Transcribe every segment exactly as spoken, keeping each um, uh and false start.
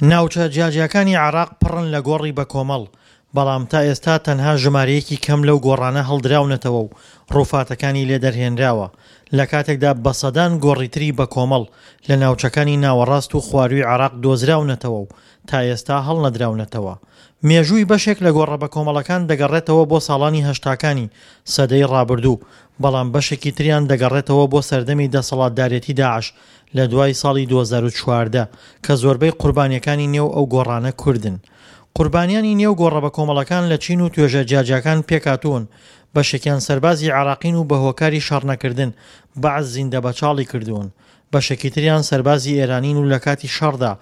ناوچە جیاجیاکانی عێراق پڕن لە گۆڕی بەکۆمەڵ، بەڵام تا ئێستا تەنها ژمارەیەکی کەم لەو گۆڕانە هەڵدراونەتەوە و ڕووفاتەکانی لێ دەرهێنراوە، لە کاتێکدا بە سەدان گۆڕی تری بەکۆمەڵ لە ناوچەکانی ناوەڕاست و خوارووی عێراق دۆزراونەتەوە و تا ئێستا هەڵنەدراونەتەوە. مێژووی بەشێک لە گۆڕە بەکۆمەڵەکان دەگەڕێتەوە بۆ ساڵانی هەشتاکانی سەدەی ڕابردوو، بەڵام بەشێکی تریان دەگەڕێتەوە بۆ سەردەمی دەسەڵاتدارێتی داعش لە دوای ساڵی دوو هەزار و چواردە کە زۆربەی قوربانییەکانی نێو ئەو گۆڕانە کوردن. قوربانیانی نێو گۆڕە بەکۆمەڵەکان لە چین و توێژە جیاجیاکان پێکهاتوون، بەشێکیان سەربازی عێراقین و بە هۆکاری شەڕنەکردن بەعس زیندەبەچاڵی کردوون، بەشێکی تریان سەربازی ئێرانین و لە کاتی شەڕدا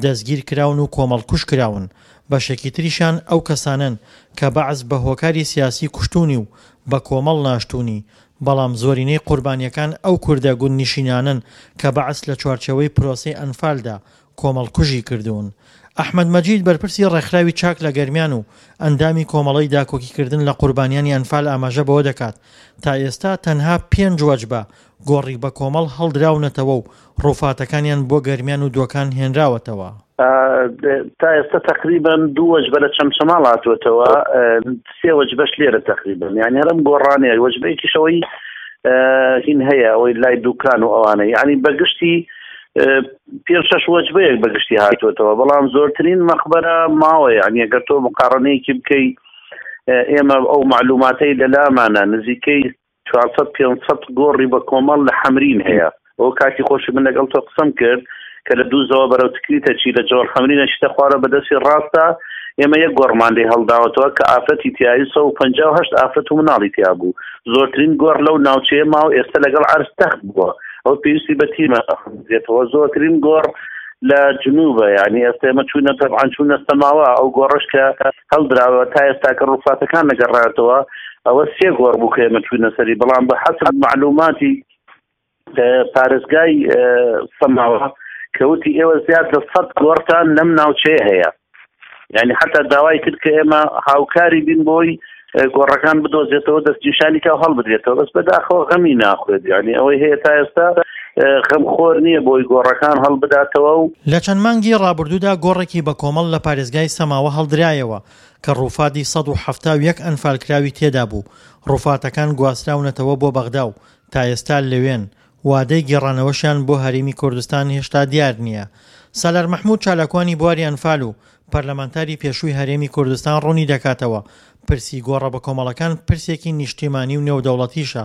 دەستگیر کراون و کۆمەڵکوژ کراون، بەشێکی تریشیان ئەو کەسانەن کە بەعس بە هۆکاری سیاسی کوشتوونی و بە کۆمەڵ ناشتوونی، بەڵام زۆرینەی قوربانییەکان ئەو کوردە گوندنشینانەن کە بەعس لە چوارچێوەی پرۆسەی ئەنفالدا کۆمەڵکوژی کردوون. ئەحمەد مەجید بەرپرسی ڕێکخراوی چاک لە گەرمیان و ئەندامی کۆمەڵەی داکۆکیکردن لە قوربانیانی ئەنفال ئاماژە بەوە دەکات، تا ئێستا تەنها پێنج وەجبە گۆڕی بەکۆمەڵ هەڵدراونەتەوە و ڕووفاتەکانیان بۆ گەرمیان و دۆکان هێنراوەتەوە. تا ئێستا تقریبا دوو وەجبە لە چەمچەماڵ هاتووەتەوە، سێ وەجبەش لێرە تقریبا، یعنی هەرم گۆڕانەیە، وەجبەیەکیشەوەی هین هەیە ئەوەی لای دوکان و ئەوانە، یعنی بەگشتی پێنج شەش وەجبەیەک بەگشتی هاتووەتەوە، بەڵام زۆرترین مەقبەرە ماوە. یعنی ئەگەر تۆ مقارنەیەکی بکەی ئێمە ئەو معلوماتەی لەلامانە نزیکەی چوارسەد پێنجسەد گۆڕی بە کۆمەڵ لە حەمرین هەیە. ئەو کاتی خۆشی من لەگەڵ تۆ قسەم کرد کە لە دووزەوە بەرەو تکریتە چی لە جۆڵ حەمرینە شتە خوارە بەدەستی ڕاستە، ئێمە یەک گۆڕمان لێ هەڵداوەتەوە کە ئافرەتی تیایی سەد و پەنجا و هەشت ئافرەت و مناڵی تیا بوو. زۆرترین گۆڕ لەو ناوچەیە ماوە ئێستا لەگەڵ عەرز تەخت بووە، ئەو پێویستی بە تیمە دێتەوە. زۆرترین گۆڕ لە جنوبە، یعنی ئێستا ئێمە چوونە تەبعاً چوونە سەماوە، ئەو گۆڕش کە هەڵدراوە تا ئێستا کە ڕووفاتەکان نەگەڕایەتەوە ئەوە سێ گۆڕ بوو کە ئێمە چوونە سەری، بەڵام بە حەسب معلوماتی پارێزگای سەماوە کەوتی ئێوە زیاد لە سەد گۆڕتان لەم ناوچەیە هەیە. یعنی حتا داوای کرد کە ئێمە هاوکاری بین بۆی گۆڕەکان بدۆزێتەوە، دەستنیشانی کا هەڵبدرێتەوە، بەس بەداخەوە غەمی ناخوێت. یعنی ئەوەی هەیە تا ئێستا غەمخۆر نییە بۆی گۆڕەکان هەڵبداتەوە. و لە چەند مانگی ڕابردوودا گۆڕێکی بە کۆمەڵ لە پارێزگای سەماوە هەڵدرایەوە کە ڕووفاتی سەد و حەفتا و یەک ئەنفالکراوی تێدا بوو. ڕووفاتەکان گواستراونەتەوە بۆ بەغدا و تا ئێستا لەوێن، وادەی گێڕانەوەشیان بۆ هەرێمی کوردستان هێشتا دیار نییە. سالار مەحمود چالاکوانی بواری ئەنفال و پەرلەمانتاری پێشووی هەرێمی کوردستان ڕوونی دەکاتەوە پرسی گۆڕە بە کۆمەڵەکان پرسێکی نیشتیمانی و نێودەوڵەتیشە،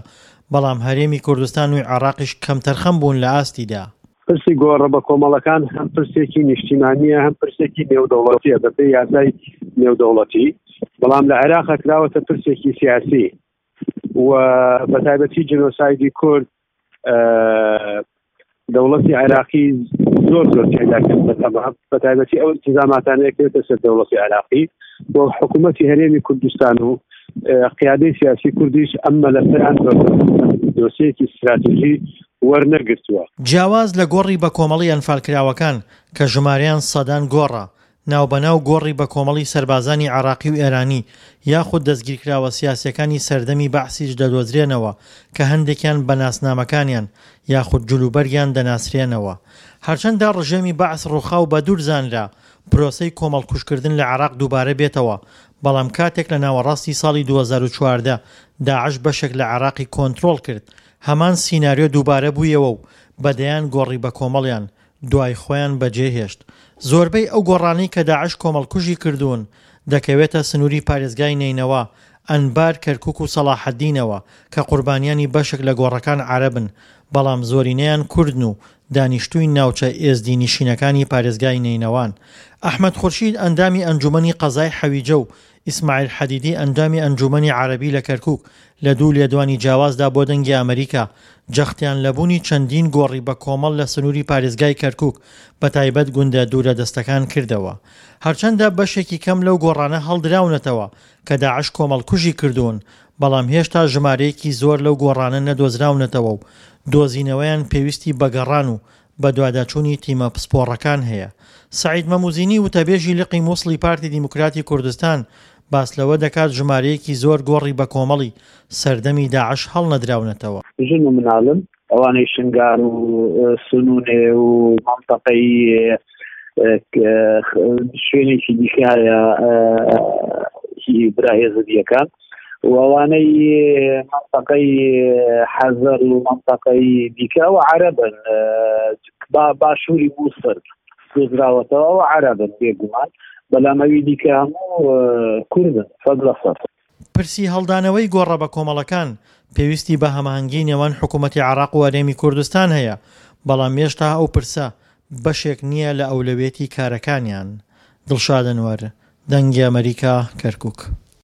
بەڵام هەرێمی کوردستان و عێراقیش کەمتەرخەم بوون لە ئاستیدا. پرسی گۆڕە بە کۆمەڵەکان هەم پرسێکی نیشتیمانیە هەم پرسێکی نێودەوڵەتیە بەپێی یاسای نێودەوڵەتی، بەڵام لە عێراق کراوەتە پرسێکی سیاسی و بە تایبەتی جینۆسایدی کورد دەوڵەتی عێراقی زۆر زۆر تێدا کرد بە تایبەتی ئەو التزاماتانەیە کەوتە سەر دەوڵەتی عێراقی و حکوومەتی هەرێمی کوردستان و قیادەی سیاسی کوردیش ئەم مەلەفەیان دۆسیەکی استراتیژی وەرنەگرتووە. جیاواز لە گۆڕی بە کۆمەڵی ئەنفالکراوەکان کە ژمارەیان سەدان گۆڕە، ناوبەناو گۆڕی بە کۆمەڵی سەربازانی عێراقی و ئێرانی یاخود دەستگیرکراوە سیاسیەکانی سەردەمی بەعسیش دەدۆزرێنەوە کە هەندێکیان بە ناسنامەکانیان یاخود جلوبەرگیان دەناسرێنەوە. هەرچەندە ڕژێمی بەعس ڕووخاو بە دوور زانرا پرۆسەی کۆمەڵکوژکردن لە عێراق دووبارە بێتەوە، بەڵام کاتێک لە ناوەڕاستی ساڵی دوو هەزار و چواردە داعش بەشێک لە عێراقی کۆنترۆڵ کرد، هەمان سیناریۆ دووبارە بوویەوە و بەدەیان گۆڕی بە کۆمەڵیان دوای خۆیان بەجێهێشت. زۆربەی ئەو گۆڕانەی کە داعش کۆمەڵکوژی کردوون دەکەوێتە سنووری پارێزگای نەینەوا، ئەنبار، کەرکوک و سەڵاحەدینەوە کە قوربانیانی بەشێک لە گۆڕەکان عەرەبن، بەڵام زۆرینەیان کوردن و دانیشتووی ناوچە ئێزدی نشینەکانی پارێزگای نەینەوان. ئەحمەد خورشید ئەندامی ئەنجومەنی قەزای حەویجە و ئیسماعیل حەدیدی ئەندامی ئەنجومەنی عەرەبی لە کەرکوک لە دوو لێدوانی جیاوازدا بۆ دەنگی ئەمریکا جەختیان لە بوونی چەندین گۆڕی بە کۆمەڵ لە سنووری پارێزگای کەرکوک بە تایبەت گوندە دوورە دەستەکان کردەوە. هەرچەندە بەشێکی کەم لەو گۆڕانە هەڵدراونەتەوە کە داعش کۆمەڵکوژی کردوون، بەڵام هێشتا ژمارەیەکی زۆر لەو گۆڕانە نەدۆزراونەتەوە و دۆزینەوەیان پێویستی بەگەڕان و بەدواداچوونی تیمە پسپۆڕەکان هەیە. سەعید مەموزینی وتەبێژی لقی مووسڵی پارتی دیموکراتی کوردستان باس لەوە دەکات ژمارەیەکی زۆر گۆڕی بە کۆمەڵی سەردەمی داعش هەڵنەدراونەتەوە. ژن و مناڵن ئەوانەی شنگار و سنونێ و مەنتەقەی شوێنێکی دیکە هەیە هی برا هێزدیەکان و ئەوانەی منطقەی حەزەر و منطقەی دیکە ئەوە عەرەبن، باشووری مووسڵ دۆزراوەتەوە ئەوە عەرەبن بێگومان، بەڵام ئەوی دیکە هەموو کوردن سەد لە سەد. پرسی هەڵدانەوەی گۆڕە بە کۆمەڵەکان پێویستی بە هەماهەنگی نێوان حکوومەتی عێراق و هەرێمی کوردستان هەیە، بەڵام هێشتا ئەو پرسە بەشێک نییە لە ئەولەویەتی کارەکانیان. دڵشاد ئەنوەر، دەنگی ئەمەریکا، کەرکووک.